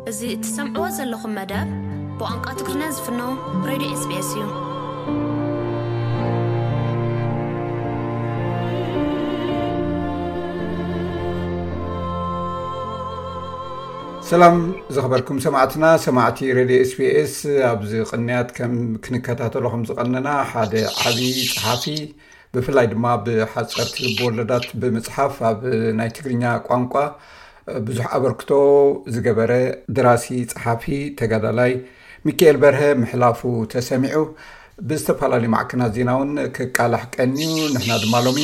እዚ እትሰምዕዎ ዘለኹም መደብ ብቋንቋ ትግርኛ ዝፍኖ ሬድዮ ኤስቢኤስ እዩ። ሰላም ዝኸበርኩም ሰማዕትና፣ ሰማዕቲ ሬድዮ ኤስቢኤስ። ኣብዚ ቅንያት ከም ክንከታተሎ ከም ዝቐነና፣ ሓደ ዓቢ ጸሓፊ፣ ብፍላይ ድማ ብሓጸርቲ ልብ ወለዳት ብምጽሓፍ ኣብ ናይ ትግርኛ ቋንቋ ብዙሕ ኣበርክቶ ዝገበረ ደራሲ፣ ጸሓፊ፣ ተጋዳላይ ሚካኤል በርሀ ምሕላፉ ተሰሚዑ፣ ብዝተፈላለዩ ማዕከናት ዜና እውን ክቃላሕ ቀንዩ። ንሕና ድማ ሎሚ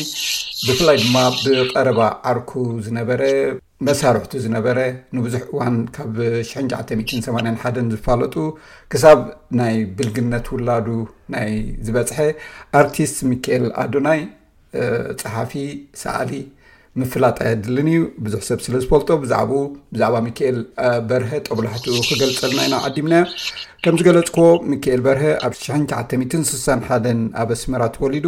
ብፍላይ ድማ ብቐረባ ዓርኩ ዝነበረ፣ መሳርሕቱ ዝነበረ፣ ንብዙሕ እዋን ካብ ሽሕን ትሽዓተ ሚእትን ሰማንያን ሓደን ዝፋለጡ፣ ክሳብ ናይ ብልግነት ውላዱ ናይ ዝበጽሐ ኣርቲስት ሚካኤል ኣዶናይ፣ ጸሓፊ፣ ሰኣሊ፣ ምፍላጥ ኣየድልን እዩ። ብዙሕ ሰብ ስለ ዝፈልጦ፣ ብዛዕባኡ፣ ብዛዕባ ሚካኤል በርሀ ጦብላሕትኡ ክገልጸልና ኢና ዓዲምናዮ። ከም ዝገለጽክዎ፣ ሚካኤል በርሀ ኣብ ሽሕን ትሽዓተ ሚእትን ስሳን ሓደን ኣብ ኣስመራ ተወሊዱ፣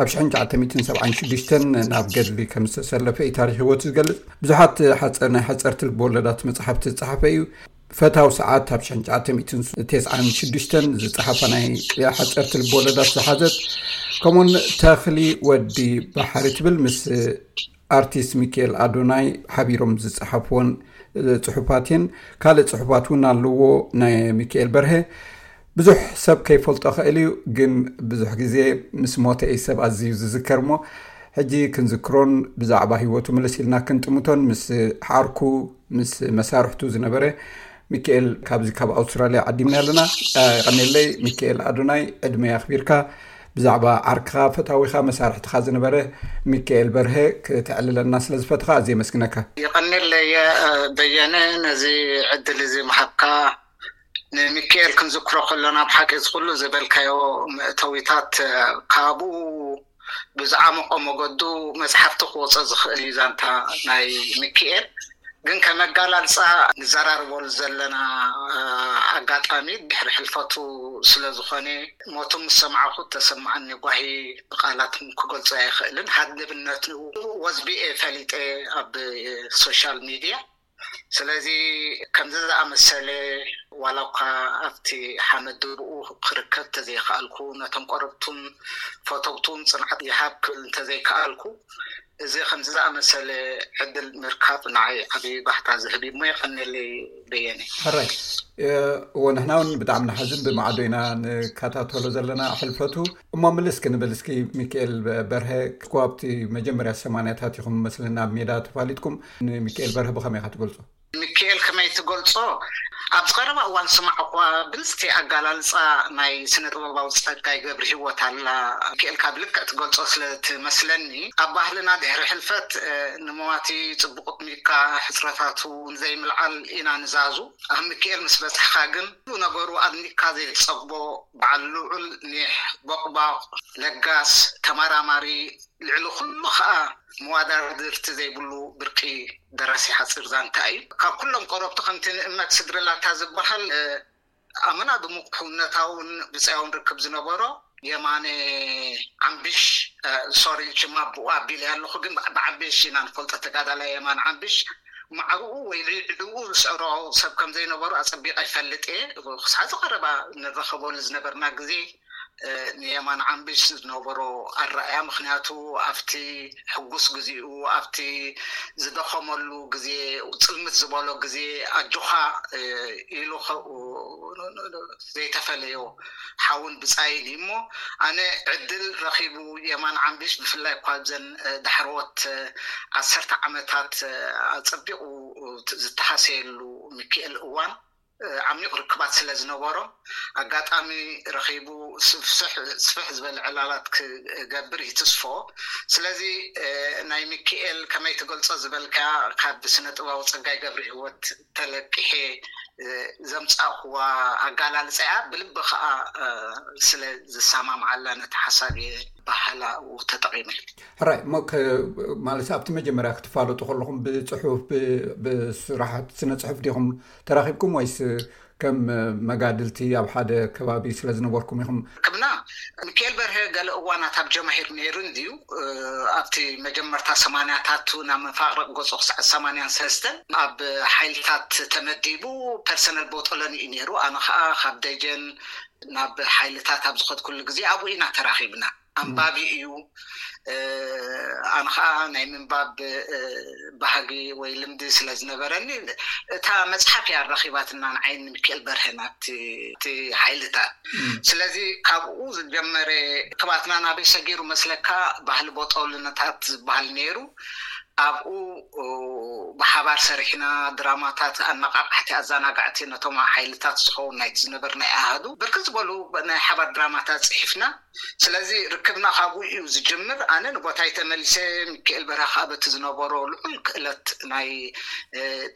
ኣብ ሽሕን ትሽዓተ ሚእትን ሰብዓን ሽዱሽተን ናብ ገድሊ ከም ዝተሰለፈ እዩ ታሪኽ ህይወቱ ዝገልጽ። ብዙሓት ሓጸ-፣ ናይ ሓጸርቲ ልብ ወለዳት መጽሓፍቲ ዝጸሓፈ እዩ። ፈታው ሰዓት ኣብ ሽሕን ትሽዓተ ሚእትን ተስዓን ሽዱሽተን ዝጸሓፋ ናይ ሓጸርቲ ልብ ወለዳት ዝሓዘት፣ ከምኡውን ተኽሊ ወዲ ባሕሪ ትብል ምስ ኣርቲስት ሚካኤል ኣዶናይ ሓቢሮም ዝጸሓፍዎን ጽሑፋት እየን። ካልእ ጽሑፋት እውን ኣለዎ ናይ ሚካኤል በርሀ። ብዙሕ ሰብ ከይፈልጦ ኽእል እዩ፣ ግን ብዙሕ ግዜ ምስ ሞተ እዩ ሰብ ኣዝዩ ዝዝከር እሞ፣ ሕጂ ክንዝክሮን ብዛዕባ ህይወቱ ምልስ ኢልና ክንጥምቶን ምስ ዓርኩ፣ ምስ መሳርሕቱ ዝነበረ ሚካኤል ካብዚ ካብ ኣውስትራልያ ዓዲምና ኣለና። የቐኔለይ ሚካኤል ኣዶናይ፣ ዕድመ ኣኽቢርካ ብዛዕባ ዓርክኻ፣ ፈታዊኻ፣ መሳርሕትኻ ዝነበረ ሚካኤል በርሀ ክተዕልለና ስለ ዝፈትኻ ኣዝየ የመስግነካ። የቐኔለይ በየነ፣ ነዚ ዕድል እዚ ምሃብካ። ንሚካኤል ክንዝክሮ ከለና፣ ብሓቂ እዚ ኩሉ ዝበልካዮ መእተዊታት፣ እ፣ ካብኡ ብዝዓመቖ መገዱ መጽሓፍቲ ክወጾ ዝኽእል እዩ ዛንታ ናይ ሚካኤል። ግን ከመጋላልጻ ንዘራርበሉ ዘለና፣ እ፣ ኣጋጣሚ ድሕሪ ሕልፈቱ ስለ ዝኾነ፣ ሞቱ ምስ ሰማዕኹ እተሰማዓኒ ጓሂ ብቓላት ክገልጾ ኣይኽእልን። ሃድንብነቱ ወዝቢኤ ፈሊጠ ኣብ ሶሻል ሚድያ። ስለዚ ከምዚ ዝኣመሰለ፣ ዋላ እኳ ኣብቲ ሓመድ ድሩኡ ክርከብ እንተዘይከኣልኩ፣ ነቶም ቆረብቱን ፈተውቱን ጽንዓት ይሃብ ክብል እንተዘይከኣልኩ፣ እዚ ከምዚ ዝኣመሰለ ዕድል ምርካብ ንዓይ ዓቢ ባህታ ዝህብ እዩ እሞ፣ የቐንየለይ በየነ። ሕራይ። እ፣ እወ፣ ንሕና እውን ብጣዕሚ ንሓዝን፣ ብማዕዶ ኢና ንከታተሎ ዘለና ሕልፈቱ። እሞ ምልስ ክንብል እስኪ፣ ሚካኤል በርሀ፣ እኮ ኣብቲ መጀመርያ ሰማንያታት ኢኹም መስለና ኣብ ሜዳ ተፋሊጥኩም። ንሚካኤል በርሀ ብኸመይ ኢኻ ትገልጾ? ሚካኤል ከመይ ትገልጾ? ኣብዚ ቀረባ እዋን ስማዕ እኳ ብልጽቲ ኣጋላልጻ ናይ ስነ ጥበባዊ ጸጋይ ገብረ ህይወት ኣላ። ሚካኤል ካብ ልክዕ ትገልጾ ስለ ትመስለኒ፣ ኣብ ባህልና ድሕሪ ሕልፈት፣ እ፣ ንመዋቲ ጽቡቕ ኣጥሚቕካ፣ ሕጽረታቱ ንዘይምልዓል ኢና ንዛዙ። ኣብ ሚካኤል ምስ በጻሕካ ግን፣ ኩሉ ነገሩ ኣድኒቕካ ዘይትጸግቦ፣ በዓል ልዑል ኒሕ፣ ቦቕባቕ፣ ለጋስ፣ ተመራማሪ፣ ልዕሊ ኩሉ ኸኣ መዋዳድርቲ ዘይብሉ ብርቂ ደራሲ ሓጺር ዛንታ እዩ። ካብ ኩሎም ቆረብቱ፣ ከምቲ ንእመት ስድሪ ላታ ዝበሃል፣ እ፣ ኣመና ድሙቕ ሕውነታውን ብጻያውን ርክብ ዝነበሮ የማነ ዓምቢሽ፣ እ፣ ሶሪ፣ ሽማ ብኡ ኣቢለ ኣለኹ፣ ግን ብ-፣ ብዓምቢሽ ኢና ንፈልጦ፣ ተጋዳላይ የማነ ዓምቢሽ። ማዕርኡ ወይ ልዕልኡ ዝስዕሮ ሰብ ከም ዘይነበሮ ኣጸቢቐ ይፈልጥ እየ። ክሳዕ ዝቐረባ ንራኸበሉ ዝነበርና ግዜ፣ እ፣ ንየማነ ዓምቢሽ ዝነበሮ ኣረኣእያ፣ ምኽንያቱ ኣብቲ ሕጉስ ግዜኡ፣ ኣብቲ ዝደኸመሉ ግዜ፣ ጽልምት ዝበሎ ግዜ፣ ኣጆኻ፣ እ፣ ኢሉ ኸ-፣ ዘይተፈለዮ ሓውን ብጻይን እዩ እሞ፣ ኣነ ዕድል ረኺቡ የማነ ዓምቢሽ፣ ብፍላይ እኳ ኣብዘን፣ እ፣ ዳሕረዎት፣ እ፣ ዓሰርተ ዓመታት፣ እ፣ ኣጸቢቑ፣ እ፣ ዝተሃሰየሉ ሚካኤል እዋን፣ እ፣ ዓሚቕ ርክባት ስለ ዝነበሮም፣ ኣጋጣሚ ረኺቡ ስፍሕ፣ ስፍሕ ዝበለ ዕላላት ክገብር ይትስፎ። ስለዚ፣ እ፣ ናይ ሚካኤል ከመይ ትገልጾ ዝበልካ፣ ካብ ስነ ጥበባዊ ጸጋይ ገብረ ህይወት ተለቂሐ፣ እ፣ ዘምጻእኩዋ ኣጋላልጻ እያ። ብልቢ ከኣ፣ እ፣ ስለ ዝሰማምዓላ ነቲ ሓሳብ እየ ባህላኡ ተጠቒመ። ሕራይ፣ እሞ ከ-፣ ማለት ኣብቲ መጀመርያ ክትፋለጡ ከለኹም ብጽሑፍ፣ ብ-፣ ብስራሓት ስነ ጽሑፍ ዲኹም ተራኺብኩም ወይስ ከም መጋድልቲ ኣብ ሓደ ከባቢ ስለ ዝነበርኩም ኢኹም? ርክብና ሚካኤል በርሀ ገለ እዋናት ኣብ ጀማሂር ነይሩ እንድዩ። ኣብቲ መጀመርታ ሰማንያታቱ ናብ መፋቕረቕ ገጹ ክሳዕ ሰማንያን ሰለስተን ኣብ ሓይልታት ተመዲቡ ፐርሰናል ቦጦሎኒ እዩ ነይሩ። ኣነ ከዓ ካብ ደጀን ናብ ሓይልታት ኣብ ዝኸድኩሉ ግዜ ኣብኡ ኢና ተራኺብና። ኣንባቢ እዩ። ኣነ ከዓ ናይ ምንባብ ባህጊ ወይ ልምዲ ስለ ዝነበረኒ እታ መፅሓፍ እያ ኣራኺባትና ንዓይን ሚካኤል በርሀን ኣብቲ ሓይልታት። ስለዚ ካብኡ ዝጀመረ ክባትና ናበይ ሰጊሩ መስለካ? ባህሊ ቦጦልነታት ዝበሃል ነይሩ። ኣብኡ ብሓባር ሰሪሕና ድራማታት ኣነቃቃሕቲ ኣዘናጋዕቲ ነቶም ሓይልታት ዝኸውን ናይቲ ዝነበርና ኣሃዱ ብርክት ዝበሉ ናይ ሓባር ድራማታት ፅሒፍና። ስለዚ ርክብና ካብኡ እዩ ዝጅምር። ኣነ ንቦታይ ተመሊሰ፣ ሚካኤል በርሀ ከዓ በቲ ዝነበሮ ልዑል ክእለት ናይ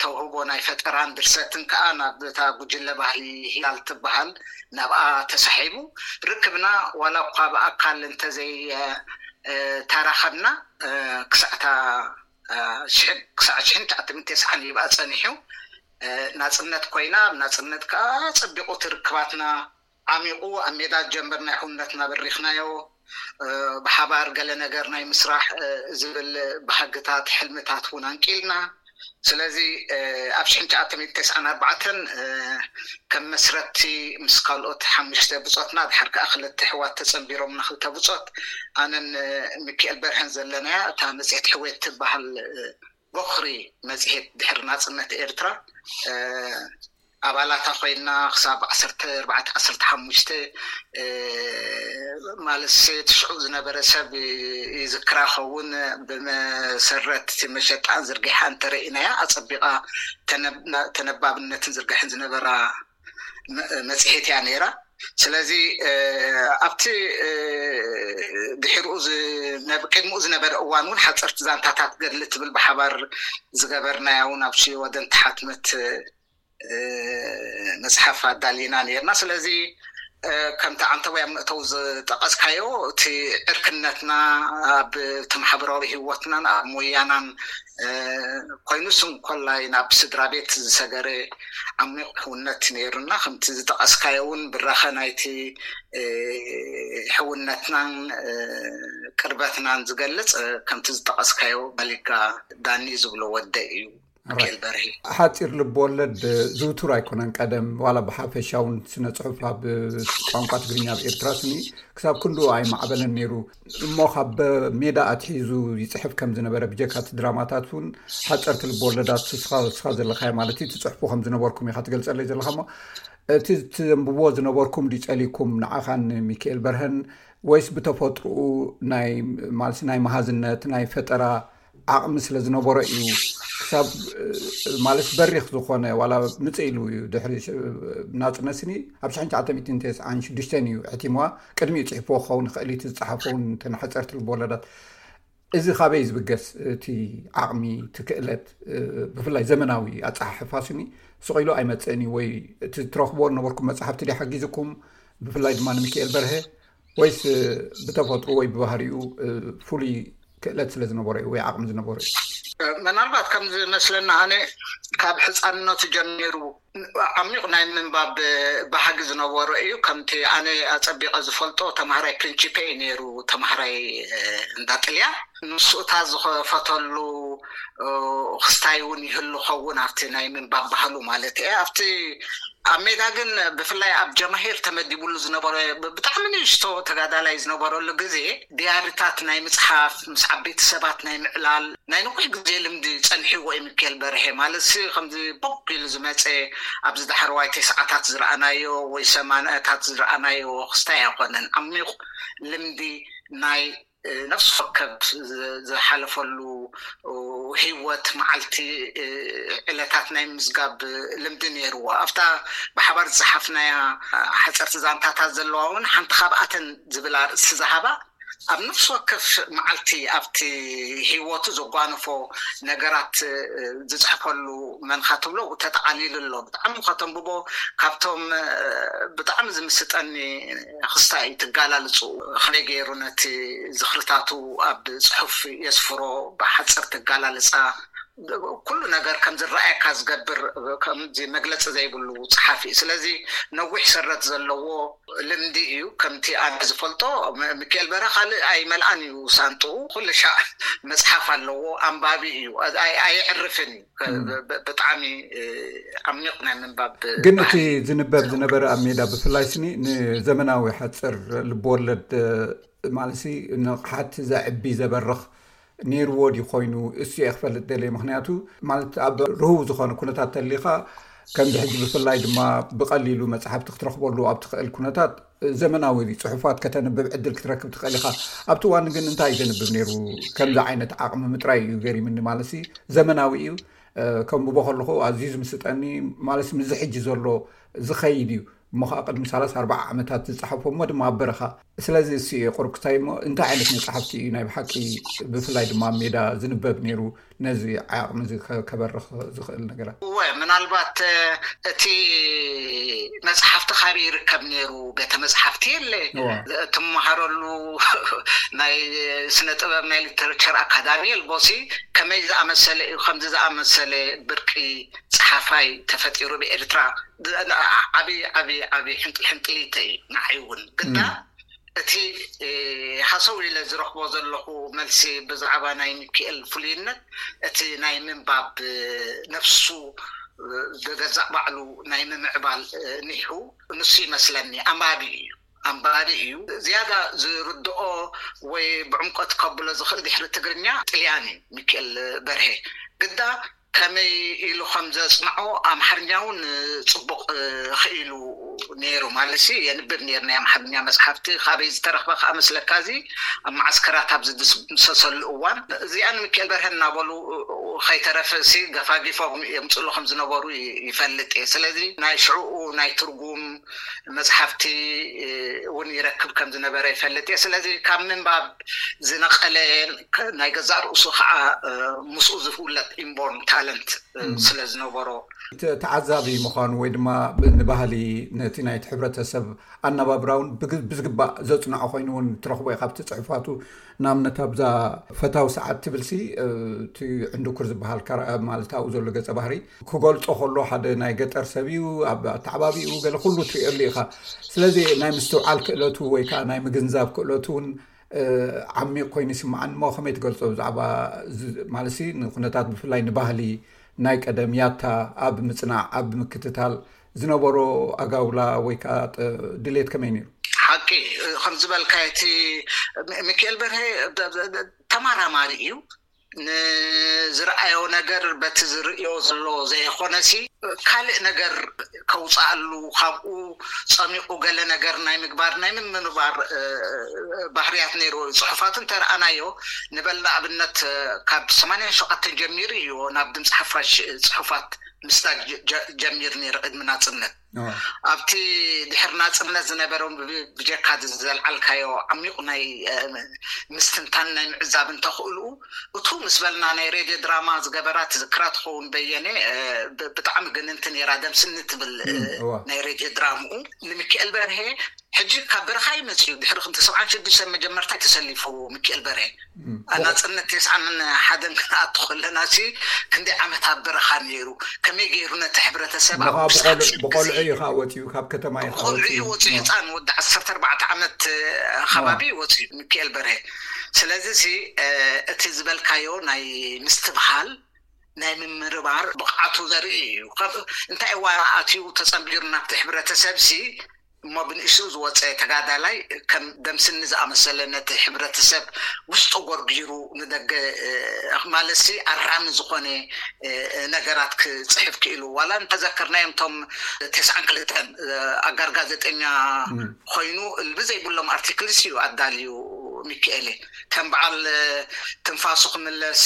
ተውህቦ ናይ ፈጠራን ድርሰትን ከዓ ናብ እታ ጉጅለ ባህሊ ሂላል ትበሃል ናብኣ ተሳሒቡ። ርክብና ዋላ እኳ ብኣካል እንተዘይ ተራኸብና ክሳዕታ ክሳዕ ሽሕን ትሽዓተ ሚእትን ተስዓን ይብኣ ፀኒሑ። ናፅነት ኮይና፣ ኣብ ናፅነት ከዓ ፀቢቑ ትርክባትና ዓሚቑ ኣብ ሜዳ ጀምር ናይ ሕውነትና በሪኽናዮ። ብሓባር ገለ ነገር ናይ ምስራሕ ዝብል ባህግታት ሕልምታት እውን ኣንቂልና። ስለዚ ኣብ ሽሕን ትሽዓተ ሚእትን ተስዓን ኣርባዕተን ከም መስረቲ ምስ ካልኦት ሓሙሽተ ብፆትና ድሓር ከዓ ክልተ ሕዋት ተፀንቢሮምና ክልተ ብፆት ኣነን ሚካኤል በርሀን ዘለናያ እታ መፅሄት ሕዌት ትበሃል ቦኽሪ መፅሄት ድሕሪ ናፅነት ኤርትራ ኣባላታ ኮይና ክሳብ ዓሰርተ ኣርባዕተ ዓሰርተ ሓሙሽተ ማለት ትሽዑ ዝነበረ ሰብ ይዝክራ ኸውን ብመሰረት መሸጣን ዝርግሓ እንተረኢናያ ኣፀቢቓ ተነባብነትን ዝርግሕን ዝነበራ መፅሄት እያ ነይራ። ስለዚ ኣብቲ ድሕርኡ ቅድሚኡ ዝነበረ እዋን እውን ሓፀርቲ ዛንታታት ገድሊ ትብል ብሓባር ዝገበርናያ እውን ኣብ ሽወደን ተሓትመት መፅሓፍ ኣዳሊና ነርና። ስለዚ ከምቲ ዓንተቦይ ኣብ መእተው ዝጠቀስካዮ እቲ ዕርክነትና ኣብ ማሕበራዊ ህይወትናን ኣብ ሞያናን ኮይኑ ስም ኮላይ ናብ ስድራ ቤት ዝሰገረ ዓሚቕ ሕውነት ነይሩና። ከምቲ ዝጠቀስካዮ እውን ብራኸ ናይቲ ሕውነትናን ቅርበትናን ዝገልፅ ከምቲ ዝጠቀስካዮ ባሊጋ ዳኒ ዝብሎ ወደ እዩ። ሚካኤል በርሄ። ሓፂር ልብ ወለድ ዝውቱር ኣይኮነን። ቀደም ዋላ ብሓፈሻውን ስነ ፅሑፍ ኣብ ቋንቋ ትግርኛ ኣብ ኤርትራ ስኒ ክሳብ ክንድኡ ኣይማዕበለን ነይሩ። እሞ ካብ ሜዳ ኣትሒዙ ይፅሕፍ ከም ዝነበረ ብጀካ እቲ ድራማታት እውን ሓፀርቲ ልብ ወለዳት ስኻ ዘለኻዮ ማለት እዩ ትፅሕፉ ከም ዝነበርኩም ኢኻ ትገልፀለይ ዘለኻ። እሞ እቲ ትንብቦ ዝነበርኩም ድዩ ፀሊኩም ንዓኻን ሚካኤል በርሀን ወይስ ብተፈጥሮኡ ናይ ማለት ናይ መሃዝነት ናይ ፈጠራ ዓቕሚ ስለ ዝነበሮ እዩ ክሳብ ማለት በሪኽ ዝኾነ ዋላ ምጽእ ኢሉ እዩ ድሕሪ ናጽነት ስኒ ኣብ ሽሕን ትሽዓተ ሚእትን ተስዓን ሽዱሽተን እዩ ሕቲምዋ። ቅድሚኡ ጽሒፍዎ ክኸውን ይኽእል እቲ ዝጸሓፈውን ተን ሓጸርቲ ልቦወለዳት። እዚ ካበይ ዝብገስ እቲ ዓቕሚ እቲ ክእለት ብፍላይ ዘመናዊ ኣጸሓሕፋ ስኒ ስቕ ኢሉ ኣይመጽእን እዩ ወይ እቲ ትረኽቦ ነበርኩም መጽሓፍቲ ድዩ ሓጊዝኩም ብፍላይ ድማ ንሚካኤል በርሀ ወይስ ብተፈጥሮ ወይ ብባህሪኡ ፍሉይ ክእለት ስለ ዝነበሮ እዩ ወይ ዓቕሚ ዝነበሮ እዩ? ምናልባት ከም ዝመስለና ኣነ ካብ ሕፃንነቱ ጀሚሩ ዓሚቕ ናይ ምንባብ ባህጊ ዝነበሮ እዩ። ከምቲ ኣነ ኣፀቢቐ ዝፈልጦ ተምሃራይ ፕሪንቺፔ እዩ ነይሩ፣ ተምሃራይ እንዳጥልያ። ንሱ እታ ዝኸፈተሉ ክስታይ እውን ይህሉ ኸውን ኣብቲ ናይ ምንባብ ባህሉ ማለት እየ ኣብቲ ኣብ ሜዳ ግን ብፍላይ ኣብ ጀማሂር ተመዲቡሉ ዝነበረ ብጣዕሚ ንእሽቶ ተጋዳላይ ዝነበረሉ ግዜ ድያሪታት ናይ ምፅሓፍ ምስ ዓበይቲ ሰባት ናይ ምዕላል ናይ ነዊሕ ግዜ ልምዲ ፀንሒዎ እዩ ሚካኤል በርሄ። ማለት ሲ ከምዚ ቦግ ኢሉ ዝመፀ ኣብዚ ዳሕረዋይ ተስዓታት ዝረኣናዮ ወይ ሰማንያታት ዝረኣናዮ ክስታይ ኣይኮነን። ዓሚቕ ልምዲ ናይ ነፍሲ ወከፍ ዝሓለፈሉ ህይወት መዓልቲ ዕለታት ናይ ምዝጋብ ልምዲ ነይርዎ። ኣብታ ብሓባር ዝፀሓፍናያ ሓፀርቲ ዛንታታት ዘለዋ እውን ሓንቲ ካብኣተን ዝብል ኣርእስቲ ዝሃባ ኣብ ነፍሲ ወከፍ መዓልቲ ኣብቲ ህይወቱ ዘጓነፎ ነገራት ዝፅሕፈሉ መንካ ትብሎ ተጠቃሊሉ ኣሎ። ብጣዕሚ ከተንብቦ ካብቶም ብጣዕሚ ዝምስጠኒ ክስታይ እዩ ትጋላልፁ ከመይ ገይሩ ነቲ ዝኽርታቱ ኣብ ፅሑፍ የስፍሮ ብሓፅር ትጋላልፃ ኩሉ ነገር ከም ዝረኣየካ ዝገብር፣ ከምዚ መግለፂ ዘይብሉ ፀሓፊ እዩ። ስለዚ ነዊሕ ሰረት ዘለዎ ልምዲ እዩ። ከምቲ ኣነ ዝፈልጦ፣ ሚካኤል በርሀ ካልእ ኣይመልኣን እዩ ሳንጥኡ። ኩሉ ሻዕ መፅሓፍ ኣለዎ፣ ኣንባቢ እዩ፣ ኣየዕርፍን እዩ። ብጣዕሚ ዓሚቕ ናይ ምንባብ። ግን እቲ ዝንበብ ዝነበረ ኣብ ሜዳ፣ ብፍላይ ስኒ ንዘመናዊ ሓፅር ልብወለድ ማለት ንቕሓት ዘዕቢ ዘበርኽ ነይርዎ ድዩ ኮይኑ? እሱ እየ ክፈልጥ ደልየ። ምክንያቱ ማለት ኣብ ርህው ዝኾነ ኩነታት ተሊኻ፣ ከምዚ ሕጂ ብፍላይ ድማ ብቐሊሉ መፅሓፍቲ ክትረኽበሉ ኣብ ትኽእል ኩነታት፣ ዘመናዊ ፅሑፋት ከተንብብ ዕድል ክትረክብ ትኽእል ኢኻ። ኣብቲ እዋን ግን እንታይ ዘንብብ ነይሩ? ከምዚ ዓይነት ዓቕሚ ምጥራይ እዩ ገሪምኒ። ማለት ዘመናዊ እዩ። ከም ብቦ ከለኹ ኣዝዩ ዝምስጠኒ ማለት ምዚ ሕጂ ዘሎ ዝኸይድ እዩ። እሞ ከዓ ቅድሚ ሰላሳ ኣርባዓ ዓመታት ዝፀሓፎ እሞ ድማ ኣብ በረኻ። ስለዚ እሱ እየ ቁርብ ክታይ እሞ እንታይ ዓይነት መፅሓፍቲ እዩ ናይ ብሓቂ ብፍላይ ድማ ኣብ ሜዳ ዝንበብ ነይሩ፣ ነዚ ዓቕሚ እዚ ከበርኽ ዝኽእል ነገራት? እወ፣ ምናልባት እቲ መፅሓፍቲ ካበይ ይርከብ ነይሩ? ቤተ መፅሓፍቲ የለ፣ ትመሃረሉ ናይ ስነ ጥበብ ናይ ሊተረቸር ኣካዳሚ የልቦሲ። ከመይ ዝኣመሰለ እዩ ከምዚ ዝኣመሰለ ብርቂ ፀሓፋይ ተፈጢሩ ብኤርትራ? ዓብይ ዓብይ ዓብይ ሕንጥል ሕንጥሊተ እዩ ንዓይ እውን። ግዳ እቲ ሃሰው ኢለ ዝረኽቦ ዘለኹ መልሲ ብዛዕባ ናይ ሚካኤል ፍሉይነት፣ እቲ ናይ ምንባብ ነፍሱ ብገዛእ ባዕሉ ናይ ምምዕባል ኒሑ ንሱ ይመስለኒ። ኣንባቢ እዩ፣ ኣንባቢ እዩ። ዝያዳ ዝርድኦ ወይ ብዕምቆት ከብሎ ዝኽእል ድሕሪ ትግርኛ ጥልያን እዩ ሚካኤል በርሄ። ግዳ ከመይ ኢሉ ከም ዘጽንዖ ኣምሓርኛ እውን ጽቡቕ ክኢሉ ነይሩ። ማለት የንብብ ነይሩ ናይ ኣምሓርኛ መጽሓፍቲ። ካበይ ዝተረኽበ ከዓ መስለካ፣ እዚ ኣብ መዓስከራት ኣብ ዝድምሰሰሉ እዋን እዚኣ ንሚካኤል በርሀ እናበሉ ከይተረፈ ሲ ገፋጊፎም የምፅሉ ከም ዝነበሩ ይፈልጥ እየ። ስለዚ ናይ ሽዕኡ ናይ ትርጉም መፅሓፍቲ እውን ይረክብ ከም ዝነበረ ይፈልጥ እየ። ስለዚ ካብ ምንባብ ዝነቐለ፣ ናይ ገዛእ ርእሱ ከዓ ምስኡ ዝፍለጥ ኢንቦርን ታለንት ስለ ዝነበሮ። ተዓዛቢ ምዃኑ ወይ ድማ ንባህሊ፣ ነቲ ናይቲ ሕብረተሰብ ኣነባብራ እውን ብዝግባእ ዘፅንዖ ኮይኑ እውን ትረኽቦ ኢኻ ኣብቲ ፅሑፋቱ። ንኣብነት ኣብዛ ፈታዊ ሰዓት ትብል ሲ፣ እቲ ዕንድኩር ዝበሃል ካራ ማለት ኣብኡ ዘሎ ገፀ ባህሪ ክገልፆ ከሎ ሓደ ናይ ገጠር ሰብ እዩ፣ ኣብ ኣተዓባቢኡ ገለ ኩሉ ትሪእሉ ኢኻ። ስለዚ ናይ ምስትውዓል ክእለቱ ወይ ከዓ ናይ ምግንዛብ ክእለቱ እውን ዓሚቕ ኮይኑ ይስምዓኒ። እሞ ከመይ ትገልፆ ብዛዕባ ማለት ንኩነታት ብፍላይ ንባህሊ ናይ ቀደም ያታ ኣብ ምፅናዕ ኣብ ምክትታል ዝነበሮ ኣጋውላ ወይ ከዓ ድሌት ከመይ ነይሩ? ሓቂ ከም ዝበልካ እቲ ሚካኤል በርሀ ተመራማሪ እዩ። ንዝረኣዮ ነገር በቲ ዝርእዮ ዘሎ ዘይኮነሲ ካልእ ነገር ከውፅኣሉ ካብኡ ፀሚቑ ገለ ነገር ናይ ምግባር ናይ ምምንባር ባህርያት ነይርዎ እዩ። ፅሑፋቱ እንተረኣናዮ ንበል ንኣብነት ካብ ሰማንያን ሸውዓተን ጀሚሩ እዩ ናብ ድምፂ ሓፋሽ ፅሑፋት ምስዳግ ጀሚር ነይሩ ቅድሚ ናፅነት። ኣብቲ ድሕሪ ናፅነት ዝነበረ ብጀካ ዘልዓልካዮ ዓሚቑ ናይ ምስትንታን ናይ ምዕዛብ እንተኽእሉ እቱ ምስ በልና ናይ ሬድዮ ድራማ ዝገበራ ትዝክራ ትኸውን በየነ ብጣዕሚ ግንንቲ ነይራ። ደምስኒ ትብል ናይ ሬድዮ ድራምኡ ንሚካኤል በርሄ ሕጂ ካብ በረኻ ይመፅእ እዩ። ድሕሪ ክንተ ሰብዓን ሽዱሽተ መጀመርታ ተሰሊፉ ሚካኤል በርሄ ኣናፅነት ተስዓን ሓደን ክንኣቱ ከለና ሲ ክንደይ ዓመት ኣብ በረኻ ነይሩ፣ ከመይ ገይሩ ነቲ ሕብረተሰብ ኣብ ብቆልዑ እዩ ከዓ ወፂኡ፣ ካብ ከተማ እዩ ከዓ ብቆልዑ እዩ ወፂኡ። ህፃን ወዲ ዓሰርተ ኣርባዕተ ዓመት ከባቢ እዩ ወፂኡ ሚካኤል በርሄ። ስለዚ ሲ እቲ ዝበልካዮ ናይ ምስትብሃል ናይ ምምርባር ብቕዓቱ ዘርኢ እዩ። እንታይ እዋን ኣትዩ ተፀንቢሩ ናብቲ ሕብረተሰብ ሲ እሞ ብንእሽኡ ዝወፀ ተጋዳላይ ከም ደምስኒ ዝኣመሰለ ነቲ ሕብረተሰብ ውሽጡ ጎርጊሩ ንደገ ማለትሲ ኣራሚ ዝኾነ ነገራት ክፅሕፍ ክኢሉ። ዋላ እንተዘከርናዮም እቶም ተስዓን ክልተን ኣጋር ጋዜጠኛ ኮይኑ ልቢ ዘይብሎም ኣርቲክልስ እዩ ኣዳልዩ ሚካኤል። ከም በዓል ትንፋሱ ክምለስ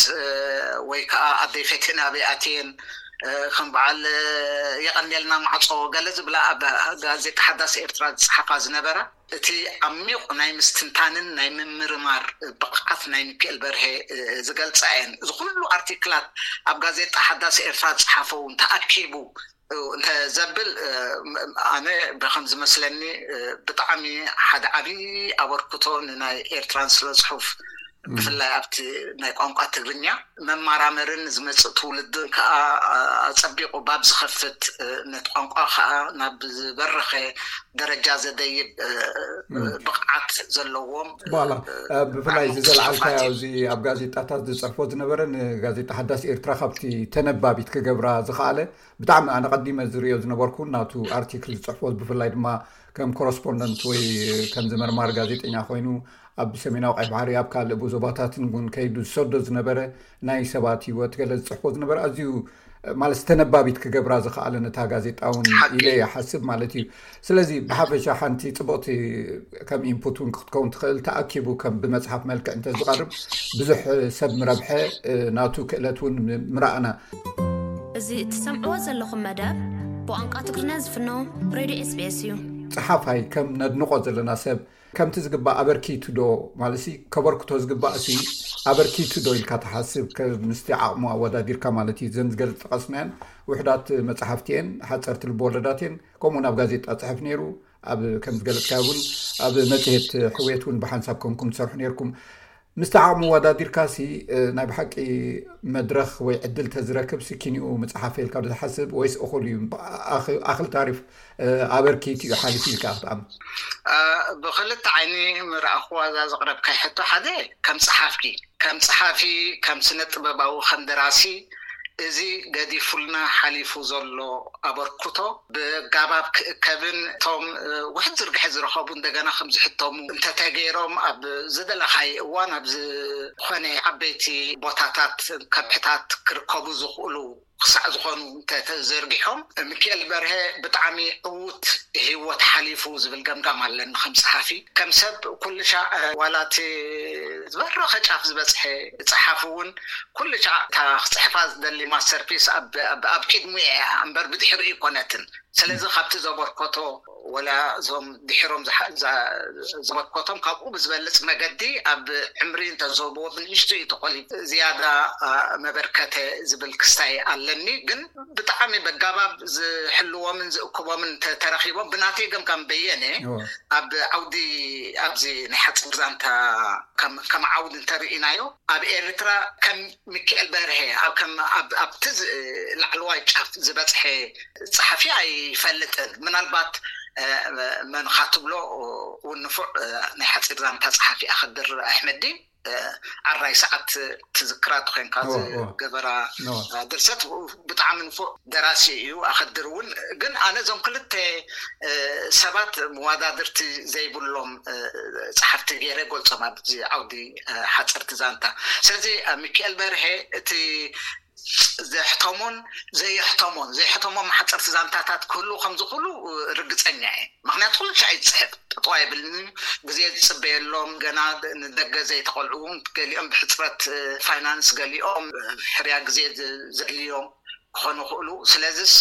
ወይ ከዓ ኣደይ ፈትየን ኣበይ ኣትየን ከም በዓል የቐንየልና ማዕፆ ገለ ዝብላ ኣብ ጋዜጣ ሓዳስ ኤርትራ ዝፀሓፋ ዝነበራ እቲ ዓሚቕ ናይ ምስትንታንን ናይ ምምርማር ብቕዓት ናይ ሚካኤል በርሄ ዝገልፃ እየን። እዚ ኩሉ ኣርቲክላት ኣብ ጋዜጣ ሓዳስ ኤርትራ ዝፀሓፈ እውን ተኣኪቡ እንተ ዘብል ኣነ ብከም ዝመስለኒ ብጣዕሚ ሓደ ዓብዪ ኣበርክቶ ንናይ ኤርትራን ስለ ፅሑፍ ብፍላይ ኣብቲ ናይ ቋንቋ ትግርኛ መማራመርን ዝመፅእ ትውልድን ከዓ ኣፀቢቑ ባብ ዝኸፍት፣ ነቲ ቋንቋ ከዓ ናብ ዝበረኸ ደረጃ ዘደይብ ብቕዓት ዘለዎም። ብፍላይ እዚ ዘልዓልካዮ፣ እዚ ኣብ ጋዜጣታት ዝፅሕፎ ዝነበረ፣ ንጋዜጣ ሓዳስ ኤርትራ ካብቲ ተነባቢት ክገብራ ዝኸኣለ፣ ብጣዕሚ ኣነ ቀዲመ ዝርእዮ ዝነበርኩ ናቱ ኣርቲክል ዝፅሕፎ፣ ብፍላይ ድማ ከም ኮረስፖንደንት ወይ ከም ዝመርማር ጋዜጠኛ ኮይኑ ኣብ ሰሜናዊ ቀይ ባሕሪ፣ ኣብ ካልእ ዞባታትን እውን ከይዱ ዝሰዶ ዝነበረ፣ ናይ ሰባት ህይወት ገለ ዝፅሕፎ ዝነበረ፣ ኣዝዩ ማለት ተነባቢት ክገብራ ዝኸኣለ ነታ ጋዜጣ እውን ኢለ ይሓስብ ማለት እዩ። ስለዚ ብሓፈሻ ሓንቲ ፅቡቕቲ ከም ኢንፑት እውን ክትከውን ትኽእል፣ ተኣኪቡ ከም ብመፅሓፍ መልክዕ እንተዝቐርብ ብዙሕ ሰብ ምረብሐ፣ ናቱ ክእለት እውን ምረኣና። እዚ እትሰምዕዎ ዘለኹም መደብ ብቋንቋ ትግርኛ ዝፍኖ ሬድዮ ኤስቢኤስ እዩ። ፀሓፋይ ከም ነድንቖ ዘለና ሰብ ከምቲ ዝግባእ ኣበርኪቱ ዶ ማለት ሲ ከበርክቶ ዝግባእ ሲ ኣበርኪቱ ዶ ኢልካ ትሓስብ? ምስቲ ዓቕሙ ኣወዳዲርካ ማለት እዩ። ዘን ዝገለ ዝጠቐስናየን ውሕዳት መፅሓፍቲ እየን፣ ሓፀርቲ ልብወለዳት እየን። ከምኡ ናብ ጋዜጣ ፅሕፍ ነይሩ፣ ኣብ ከም ዝገለፅካ እውን ኣብ መፅሄት ሕውየት እውን ብሓንሳብ ኮንኩም ትሰርሑ ነይርኩም። ምስቲ ዓቕሙ ኣወዳዲርካ ሲ ናይ ብሓቂ መድረኽ ወይ ዕድል ተዝረክብ ሲ ኪኒኡ ምፅሓፍ ኢልካ ዶ ትሓስብ ወይስ እኹል እዩ? ኣኽል ታሪፍ ኣበርኪቱ እዩ ሓሊፉ ኢልካ ክትኣምን? ብክልተ ዓይኒ ምርኣኽዋ እዛ ዘቕረብካይ ሕቶ፣ ሓደ ከም ፀሓፊ ከም ፀሓፊ ከም ስነ ጥበባዊ ከም ደራሲ እዚ ገዲፉልና ሓሊፉ ዘሎ ኣበርክቶ ብጋባብ ክእከብን እቶም ውሕድ ዝርግሐ ዝረኸቡ እንደገና ከም ዝሕተሙ እንተተገይሮም ኣብ ዝደለኻይ እዋን ኣብ ዝኾነ ዓበይቲ ቦታታት ከብሕታት ክርከቡ ዝኽእሉ ክሳዕ ዝኾኑ እንተተዘርጊሖም፣ ሚኪኤል በርሀ ብጣዕሚ ዕዉት ህይወት ሓሊፉ ዝብል ገምጋም ኣለኒ። ከም ጸሓፊ ከም ሰብ ኩሉ ሻዕ ዋላ እቲ ዝበረኸ ጫፍ ዝበጽሐ ጸሓፊ እውን ኩሉ ሻዕ እታ ክጽሕፋ ዝደሊ ማስተርፒስ ኣብ ቅድሚኡ እያ እምበር ብድሕሪኡ ኣይኮነትን። ስለዚ ካብቲ ዘበርከቶ ወላ እዞም ድሕሮም ዘበርከቶም ካብኡ ብዝበልፅ መገዲ ኣብ ዕምሪ እንተዝህብዎ ብንእሽቱ እዩ ተቆሊሉ ዝያዳ መበርከተ ዝብል ክስታይ ኣለኒ። ግን ብጣዕሚ በጋባብ ዝሕልዎምን ዝእክቦምን ተረኪቦም ብናተይ ገምጋም በየነ ኣብ ዓውዲ ኣብዚ ናይ ሓፂር ዛንታ ከም ዓውዲ እንተርኢናዮ ኣብ ኤርትራ ከም ሚኪኤል በርሀ ኣብቲ ላዕለዋይ ጫፍ ዝበፅሐ ፀሓፊ ኣይፈልጥን። ምናልባት መን ኢኻ ትብሎ እውን ንፉዕ ናይ ሓፂር ዛንታ ፀሓፊ ኣኸድር ኣሕመዲን ዓራይ ሰዓት ትዝክራ ተኮንካ ዝገበራ ድርሰት ብጣዕሚ ንፉዕ ደራሲ እዩ። ኣኸድር እውን ግን ኣነ እዞም ክልተ ሰባት መዋዳድርቲ ዘይብሎም ፀሓፍቲ ገይረ ገልፆም ኣብዚ ዓውዲ ሓፀርቲ ዛንታ። ስለዚ ሚኪኤል በርሀ እቲ ዘሕተሞን ዘየሕተሞን ዘየሕተሞም ሓፀርቲ ዛንታታት ክህሉ ከምዝኽእሉ ርግፀኛ እየ። ምክንያቱ ኩሉ ሻዕ ይፅሕፍ ጥጥዋ የብልኒ ግዜ ዝፅበየሎም ገና ንደገ ዘይተቆልዑ እውን ገሊኦም ብሕፅረት ፋይናንስ ገሊኦም ሕርያ ግዜ ዘድልዮም ክኾኑ ይኽእሉ። ስለዚስ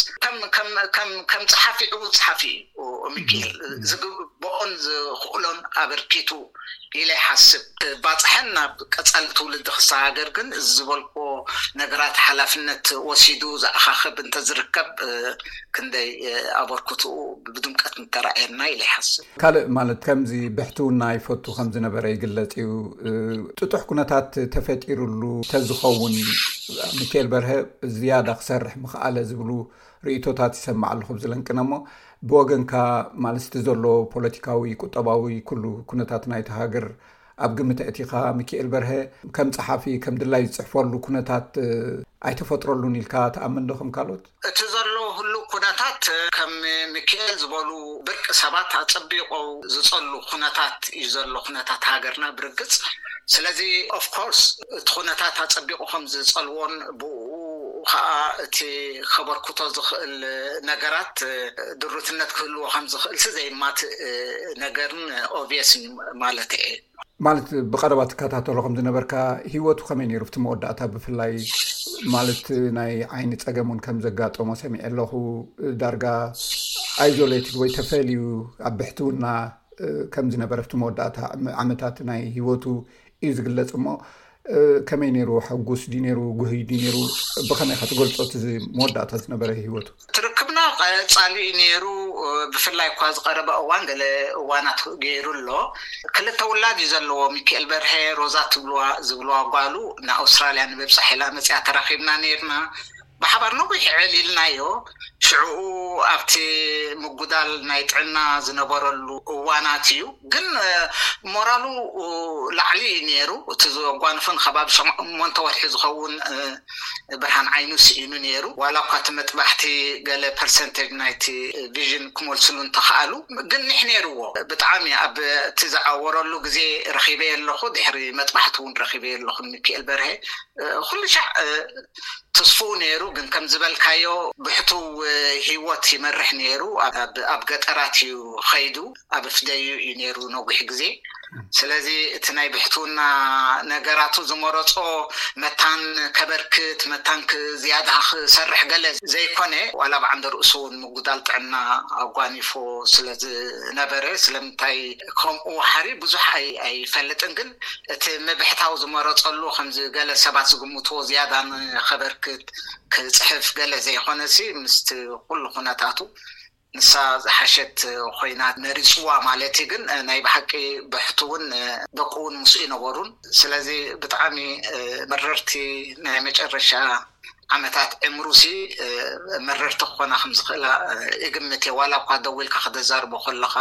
ከም ጸሓፊ ዕዉት ጸሓፊ እዩ ሚኪኤል። ዝግብኦን ዝኽእሎን ኣበርኪቱ ኢለ ይሓስብ። ባፅሐን ናብ ቀፃሊ ትውልዲ ክሰጋገር ግን እዚ ዝበልክዎ ነገራት ሓላፍነት ወሲዱ ዝኣኻኽብ እንተዝርከብ ክንደይ ኣበርክትኡ ብድምቀት ምተራእየና ኢለ ይሓስብ። ካልእ ማለት ከምዚ ብሕትውና ይፈቱ ከም ዝነበረ ይግለጽ እዩ። ጥጡሕ ኩነታት ተፈጢሩሉ ተዝኸውን ሚካኤል በርሀ ዝያዳ ክሰርሕ ምኽኣለ ዝብሉ ርእይቶታት ይሰማዕ ኣለኹ ብዝለንቅነ እሞ ብወገንካ ማለት እቲ ዘሎ ፖለቲካዊ፣ ቁጠባዊ ኩሉ ኩነታት ናይቲ ሃገር ኣብ ግምት ኣእቲኻ ሚካኤል በርሀ ከም ጸሓፊ ከም ድላይ ዝጽሕፈሉ ኩነታት ኣይተፈጥረሉን ኢልካ ትኣምን ዶ ከም ካልኦት? እቲ ዘሎ ህሉው ኩነታት ከም ሚካኤል ዝበሉ ብርቂ ሰባት ኣጸቢቑ ዝጸሉ ኩነታት እዩ ዘሎ ኩነታት ሃገርና ብርግጽ። ስለዚ ኦፍኮርስ እቲ ኩነታት ኣጸቢቑ ከም ዝጸልዎን ብኡ ከዓ እቲ ከበርክቶ ዝኽእል ነገራት ድሩትነት ክህልዎ ከም ዝኽእል ሲ ዘየማትእ ነገርን ኦብቪየስን ማለት እየ። ማለት ብቐረባ ትከታተሎ ከም ዝነበርካ ህይወቱ ከመይ ነይሩ? ኣብቲ መወዳእታ ብፍላይ ማለት ናይ ዓይኒ ጸገም እውን ከም ዘጋጠሞ ሰሚዐ ኣለኹ። ዳርጋ ኣይዞሌትድ ወይ ተፈልዩ ኣብ ብሕትውና ከም ዝነበረ ኣብቲ መወዳእታ ዓመታት ናይ ህይወቱ እዩ ዝግለጽ። እሞ ከመይ ነይሩ? ሕጉስ ድዩ ነይሩ? ጉህይ ድዩ ነይሩ? ብኸመይ ኢኻ ትገልጾ እቲ መወዳእታ ዝነበረ ህይወቱ? ትርክብና ቀጻሊ እዩ ነይሩ። ብፍላይ እኳ ዝቐረበ እዋን ገለ እዋናት ገይሩ ኣሎ። ክልተ ውላድ እዩ ዘለዎ። ሚካኤል በርሀ፣ ሮዛ ትብልዋ ዝብልዋ ጓሉ፣ ንኣውስትራልያ ንምብጻሕ ኢላ መጽያ ተራኺብና ነይርና። ብሓባር ነዊሕ ዕልልናዮ። ሽዕኡ ኣብቲ ምጉዳል ናይ ጥዕና ዝነበረሉ እዋናት እዩ። ግን ሞራሉ ላዕሊ እዩ ነይሩ። እቲ ዘጓንፎ ንከባቢ ሸሞንተ ወርሒ ዝኸውን ብርሃን ዓይኑ ስኢኑ ነይሩ። ዋላ እኳ እቲ መጥባሕቲ ገለ ፐርሰንቴጅ ናይቲ ቪዥን ክመልስሉ እንተኸኣሉ፣ ግን ኒሕ ነይርዎ። ብጣዕሚ ኣብ እቲ ዝዓወረሉ ግዜ ረኺበ ኣለኹ። ድሕሪ መጥባሕቲ እውን ረኺበ ኣለኹ። ሚካኤል በርሀ ኩሉ ሻዕ ተስፉ ነይሩ። ግን ከም ዝበልካዮ ብሕቱ ህይወት ይመርሕ ነይሩ። ኣብ ገጠራት እዩ ኸይዱ፣ ኣብ ፍደዩ እዩ ነይሩ ነዊሕ ግዜ። ስለዚ እቲ ናይ ብሕትውና ነገራቱ ዝመረጾ መታን ከበርክት፣ መታን ዝያዳ ክሰርሕ ገለ ዘይኮነ፣ ዋላ ብዓንደ ርእሱ እውን ምጉዳል ጥዕና ኣጓኒፎ ስለ ዝነበረ፣ ስለምንታይ ከምኡ ሓሪ ብዙሕ ኣይፈልጥን። ግን እቲ ምብሕታው ዝመረጸሉ፣ ከምዚ ገለ ሰባት ዝግምትዎ ዝያዳ ንኸበርክት ክጽሕፍ ገለ ዘይኮነሲ፣ ምስቲ ኩሉ ኩነታቱ ንሳ ዝሓሸት ኮይና መሪጽዋ ማለት እዩ። ግን ናይ ብሓቂ ብሕቱ እውን ደቁ እውን ምስኡ ይነበሩን። ስለዚ ብጣዕሚ መረርቲ ናይ መጨረሻ ዓመታት ዕምሩሲ መረርቲ ክኾና ከም ዝኽእላ እግምት እየ። ዋላ እኳ ደው ኢልካ ክተዛርቦ ከለኻ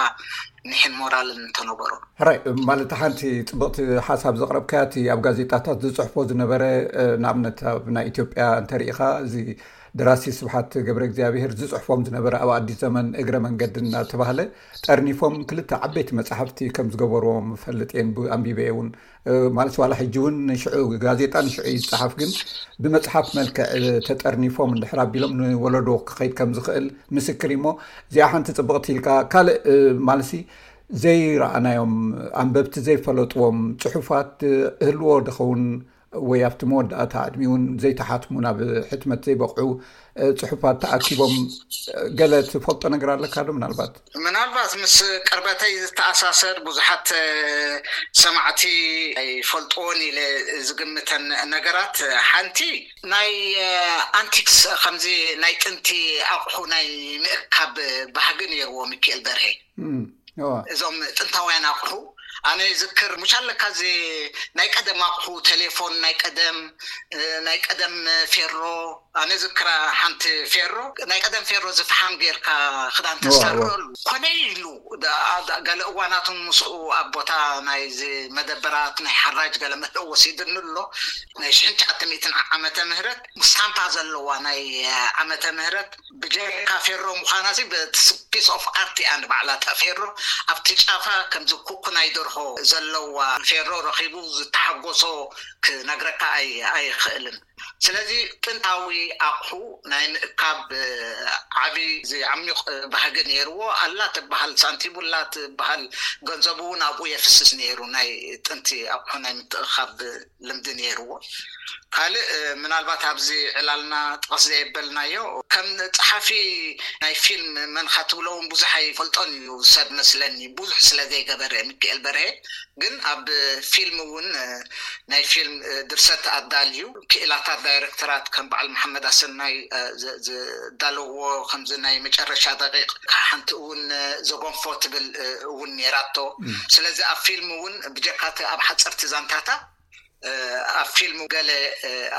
ኒሕን ሞራልን እንተነበሮ። ሕራይ፣ ማለት ሓንቲ ጽብቕቲ ሓሳብ ዘቕረብካያ፣ እቲ ኣብ ጋዜጣታት ዝጽሕፎ ዝነበረ፣ ንኣብነት ኣብ ናይ ኢትዮጵያ እንተሪኢኻ፣ እዚ ደራሲ ስብሓት ገብረ እግዚኣብሔር ዝጽሕፎም ዝነበረ ኣብ ኣዲስ ዘመን እግረ መንገዲ እናተባህለ ጠርኒፎም ክልተ ዓበይቲ መጻሕፍቲ ከም ዝገበርዎም እፈልጥ እየ፣ ኣንቢበ እውን። ማለት ዋላ ሕጂ እውን ንሽዑ ጋዜጣ ንሽዑ እዩ ዝጸሓፍ፣ ግን ብመጽሓፍ መልክዕ ተጠርኒፎም እንድሕር ኣቢሎም ንወለዶ ክኸይድ ከም ዝኽእል ምስክር እዩሞ፣ እዚኣ ሓንቲ ጽብቕቲ ኢልካ። ካልእ ማለሲ ዘይረኣናዮም፣ ኣንበብቲ ዘይፈለጥዎም ጽሑፋት እህልዎ ድኸውን ወይ ኣብቲ መወዳእታ ዕድሚኡ እውን ዘይተሓትሙ ናብ ሕትመት ዘይበቕዑ ጽሑፋት ተኣኪቦም ገለ ትፈልጦ ነገር ኣለካ ዶ? ምናልባት ምናልባት ምስ ቅርበተይ ዝተኣሳሰር ብዙሓት ሰማዕቲ ኣይፈልጥዎን ኢለ ዝግምተን ነገራት ሓንቲ ናይ ኣንቲክስ፣ ከምዚ ናይ ጥንቲ ኣቑሑ ናይ ምእካብ ባህጊ ነይርዎ ሚካኤል በርሄ። እዞም ጥንታውያን ኣቑሑ ኣነ ይዝክር። ሙሽ ኣለካ እዚ ናይ ቀደም ኣቑሑ፣ ቴሌፎን ናይ ቀደም፣ ናይ ቀደም ፌሮ። ኣነ ዝክራ ሓንቲ ፌሮ፣ ናይ ቀደም ፌሮ ዝፍሓም ጌርካ ክዳን ተሰርረሉ ኮነ ኢሉ። ገለ እዋናቱን ምስኡ ኣብ ቦታ ናይ መደበራት ናይ ሓራጅ ገለ መለ ወሲድኒ ኣሎ። ናይ ሽሕን ትሽዓተ ሚእትን ዓመተ ምህረት ስታምፓ ዘለዋ ናይ ዓመተ ምህረት ብጀካ ፌሮ ምዃና ሲ ፒስ ኦፍ ኣርት እያ ንባዕላ። እታ ፌሮ ኣብቲ ጫፋ ከምዚ ኩኩ ናይ ደርሆ ዘለዋ ፌሮ ረኺቡ ዝተሓጎሶ ክነግረካ ኣይኽእልን። ስለዚ ጥንታዊ ኣቑሑ ናይ ምእካብ ዓብዪ ዓሚቕ ባህጊ ነይርዎ። ኣላ ትበሃል ሳንቲም፣ ኣላ ትበሃል ገንዘቡ እውን ኣብኡ የፍስስ ነይሩ። ናይ ጥንቲ ኣቑሑ ናይ ምትእኻብ ልምዲ ነይርዎ። ካልእ ምናልባት ኣብዚ ዕላልና ጥቕስ ዘየበልናዮ፣ ከም ጸሓፊ ናይ ፊልም መንኻ ትብሎ እውን ብዙሕ ኣይፈልጦን እዩ ሰብ መስለኒ፣ ብዙሕ ስለ ዘይገበረ ሚካኤል በርሄ። ግን ኣብ ፊልም እውን ናይ ፊልም ድርሰት ኣዳልዩ፣ ክኢላታት ዳይረክተራት ከም በዓል መሓመድ ኣሰናይ ዝዳለዎ ከምዚ ናይ መጨረሻ ደቂቕ ሓንቲ እውን ዘጎንፎ ትብል እውን ነይራቶ። ስለዚ ኣብ ፊልም እውን ብጀካቲ ኣብ ሓፀርቲ ዛንታታ ኣብ ፊልም ገለ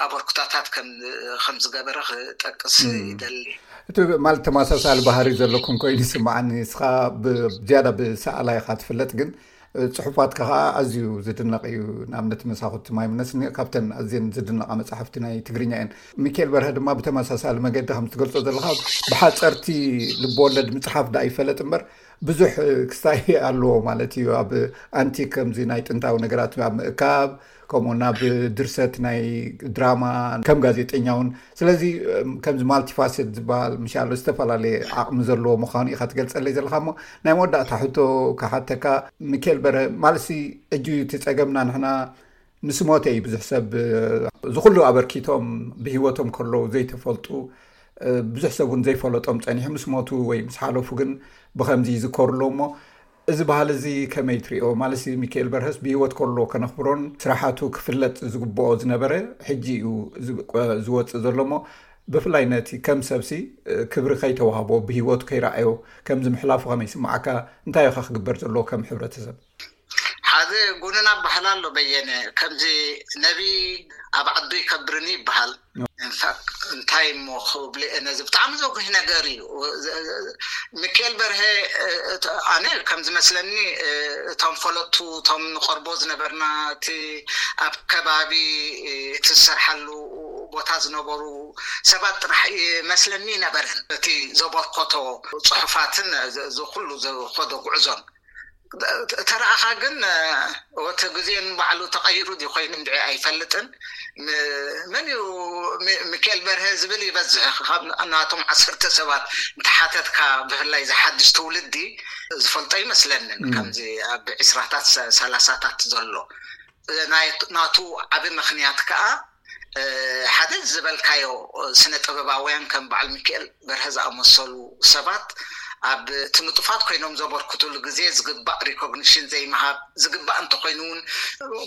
ኣበርክቶታት ከም ዝገበረ ክጠቅስ ይደሊ። እቲ ማለት ተመሳሳሊ ባህሪ ዘለኩም ኮይኑ ይስምዓኒ። ንስኻ ዝያዳ ብሰኣላይ ኢኻ ትፍለጥ፣ ግን ጽሑፋትካ ከዓ ኣዝዩ ዝድነቕ እዩ። ንኣብነት መሳኹቲ ማይ ምነስኒ ካብተን ኣዝየን ዝድነቓ መጻሕፍቲ ናይ ትግርኛ እየን። ሚካኤል በርሀ ድማ ብተመሳሳሊ መገዲ ከም ትገልጾ ዘለኻ ብሓጸርቲ ልብወለድ ምጽሓፍ ደኣ ይፈለጥ እምበር ብዙሕ ክስታይ ኣለዎ ማለት እዩ። ኣብ ኣንቲ ከምዚ ናይ ጥንታዊ ነገራት ኣብ ምእካብ፣ ከምኡ ናብ ድርሰት ናይ ድራማ ከም ጋዜጠኛ እውን። ስለዚ ከምዚ ማልቲፋሴት ዝበሃል ምሻሎ ዝተፈላለየ ዓቕሚ ዘለዎ ምዃኑ ኢኻ ትገልጸለይ ዘለኻ። እሞ ናይ መወዳእታ ሕቶ ክሓተካ፣ ሚካኤል በርሀ፣ ማለሲ ሕጂ እቲ ጸገምና ንሕና ምስ ሞተ እዩ ብዙሕ ሰብ እዚ ኩሉ ኣበርኪቶም ብህይወቶም ከለዉ ዘይተፈልጡ ብዙሕ ሰብ እውን ዘይፈለጦም ጸኒሑ ምስ ሞቱ ወይ ምስ ሓለፉ ግን ብኸምዚ ይዝከሩ ኣለዉ። እሞ እዚ ባህሊ እዚ ከመይ ትሪኦ? ማለትሲ ሚካኤል በርሀስ ብህይወት ከሎ ከነኽብሮን ስራሓቱ ክፍለጥ ዝግብኦ ዝነበረ ሕጂ እዩ ዝወፅእ ዘሎ። እሞ ብፍላይ ነቲ ከም ሰብሲ ክብሪ ከይተዋህቦ፣ ብህይወቱ ከይረኣዮ ከምዚ ምሕላፉ ከመይ ይስምዓካ? እንታይ ኢኻ ክግበር ዘለዎ ከም ሕብረተሰብ? ሓደ ጉንና በሃል ኣሎ በየነ፣ ከምዚ ነቢ ኣብ ዓዱ ይከብርኒ ይበሃል። እንታይ እሞ ክብልየ ነዚ ብጣዕሚ ዘጉሂ ነገር እዩ። ሚካኤል በርሀ ኣነ ከም ዝመስለኒ እቶም ፈለጥቱ እቶም ንቐርቦ ዝነበርና እቲ ኣብ ከባቢ እቲ ዝሰርሓሉ ቦታ ዝነበሩ ሰባት ጥራሕ መስለኒ ነበረን እቲ ዘበርከቶ ፅሑፋትን እዚ ኩሉ ዝኸዶ ጉዕዞን ተረኣኻ ግን እቲ ግዜን ባዕሉ ተቐይሩ ድ ኮይኑ እንድዒ ኣይፈልጥን። መን እዩ ሚካኤል በርሀ ዝብል ይበዝሕ። ናቶም ዓሰርተ ሰባት እንተሓተትካ ብፍላይ ዝሓድሽ ትውልዲ ዝፈልጦ ይመስለንን። ከምዚ ኣብ ዕስራታት ሰላሳታት ዘሎ ናቱ ዓብ ምኽንያት ከዓ ሓደ ዝበልካዮ ስነ ጥበባውያን ከም በዓል ሚካኤል በርሀ ዝኣመሰሉ ሰባት ኣብ እቲ ንጡፋት ኮይኖም ዘበርክቱሉ ግዜ ዝግባእ ሪኮግኒሽን ዘይምሃብ፣ ዝግባእ እንተኮይኑ እውን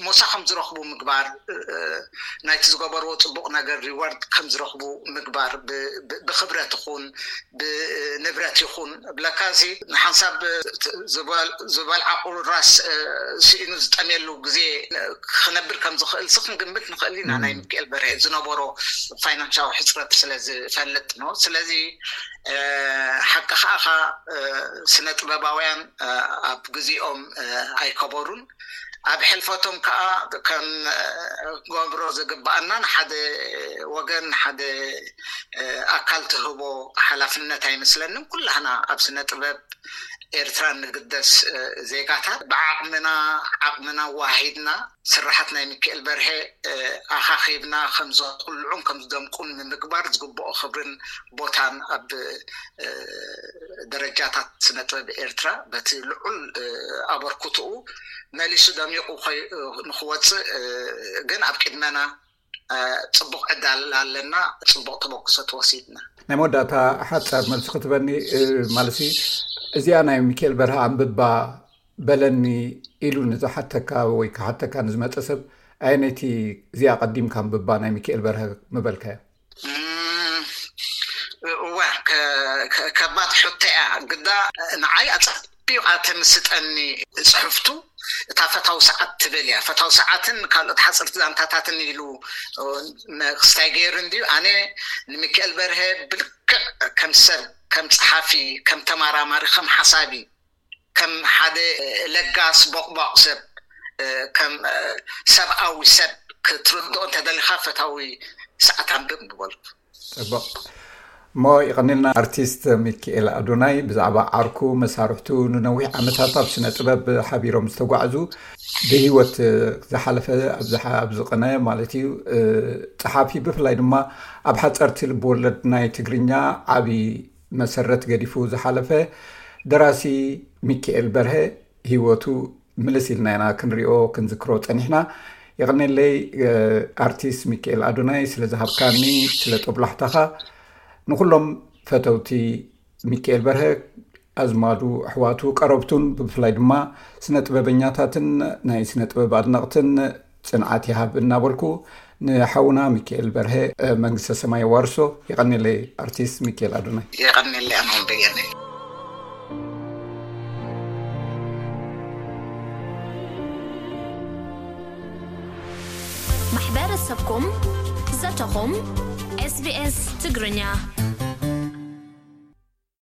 ሞሳ ከም ዝረኽቡ ምግባር፣ ናይቲ ዝገበርዎ ፅቡቕ ነገር ሪዋርድ ከም ዝረኽቡ ምግባር፣ ብክብረት ይኹን ብንብረት ይኹን ብለካ እዚ ንሓንሳብ ዝበልዓ ቁራስ ስኢኑ ዝጠምየሉ ግዜ ክነብር ከም ዝኽእል ሲ ክንግምት ንኽእል ኢና። ናይ ሚካኤል በርሀ ዝነበሮ ፋይናንሻዊ ሕፅረት ስለ ዝፈልጥ ነው። ስለዚ ሓቂ ከዓ ስነ ጥበባውያን ኣብ ግዜኦም ኣይከበሩን። ኣብ ሕልፈቶም ከዓ ከም ገብሮ ዝግባኣና ንሓደ ወገን ሓደ ኣካል ትህቦ ሓላፍነት ኣይመስለንም። ኩላህና ኣብ ስነ ጥበብ ኤርትራ ንግደስ ዜጋታት ብዓቕምና ዓቕምና ዋሂድና ስራሓት ናይ ሚካኤል በርሀ ኣኻኺብና ከም ዘኩልዑን ከም ዝደምቁን ንምግባር ዝግብኦ ክብርን ቦታን ኣብ ደረጃታት ስነ ጥበብ ኤርትራ በቲ ልዑል ኣበርክትኡ መሊሱ ደሚቑ ንክወፅእ ግን ኣብ ቅድመና ፅቡቕ ዕዳል ኣለና። ፅቡቕ ተበግሶ ተወሲድና። ናይ መወዳእታ ሓፃር መልሲ ክትበኒ ማለሲ እዚኣ ናይ ሚካኤል በርሀ ኣንብባ በለኒ ኢሉ ንዝሓተካ ወይ ክሓተካ ንዝመፀ ሰብ ኣየነይቲ እዚኣ ቀዲምካ ኣንብባ ናይ ሚካኤል በርሀ ምበልካዮ? እዋ ከባድ ሕቶ እያ። ግዳ ንዓይ ኣፀቢቓ ተምስጠኒ ፅሕፍቱ እታ ፈታዊ ሰዓት ትብል እያ። ፈታዊ ሰዓትን ካልኦት ሓፀርቲ ዛንታታትን ኢሉ ክስታይ ገይሩ እንድዩ። ኣነ ንሚካኤል በርሀ ብልክዕ ከም ሰብ፣ ከም ፀሓፊ፣ ከም ተመራማሪ፣ ከም ሓሳቢ፣ ከም ሓደ ለጋስ ቦቕቧቕ ሰብ፣ ከም ሰብኣዊ ሰብ ክትርድኦ እንተደሊኻ ፈታዊ ሰዓት ኣንብብ ምበልኩ። ፅቡቕ እሞ ይቐኒልና ኣርቲስት ሚኪኤል ኣዶናይ ብዛዕባ ዓርኩ መሳርሕቱ ንነዊሕ ዓመታት ኣብ ስነ ጥበብ ሓቢሮም ዝተጓዕዙ ብህይወት ዝሓለፈ ኣብዚ ቅነ ማለት እዩ። ፀሓፊ ብፍላይ ድማ ኣብ ሓፀርቲ ልብወለድ ናይ ትግርኛ ዓብዪ መሰረት ገዲፉ ዝሓለፈ ደራሲ ሚኪኤል በርሀ ህይወቱ ምልስ ኢልና ኢና ክንሪኦ ክንዝክሮ ፀኒሕና። የቐኔለይ ኣርቲስት ሚኪኤል ኣዶናይ ስለ ዝሃብካኒ ስለ ጦብላሕታኻ። ንኩሎም ፈተውቲ ሚኪኤል በርሀ ኣዝማዱ ኣሕዋቱ ቀረብቱን ብፍላይ ድማ ስነ ጥበበኛታትን ናይ ስነ ጥበብ ኣድነቕትን ፅንዓት ይሃብ እናበልኩ ንሓውና ሚኪኤል በርሀ መንግስተ ሰማይ ዋርሶ። የቐኔለይ ኣርቲስት ሚኪኤል ኣዶናይ። የቐኔለይ ኣማን በየነ። ማሕበረሰብኩም ዘተኹም SBS ትግርኛ።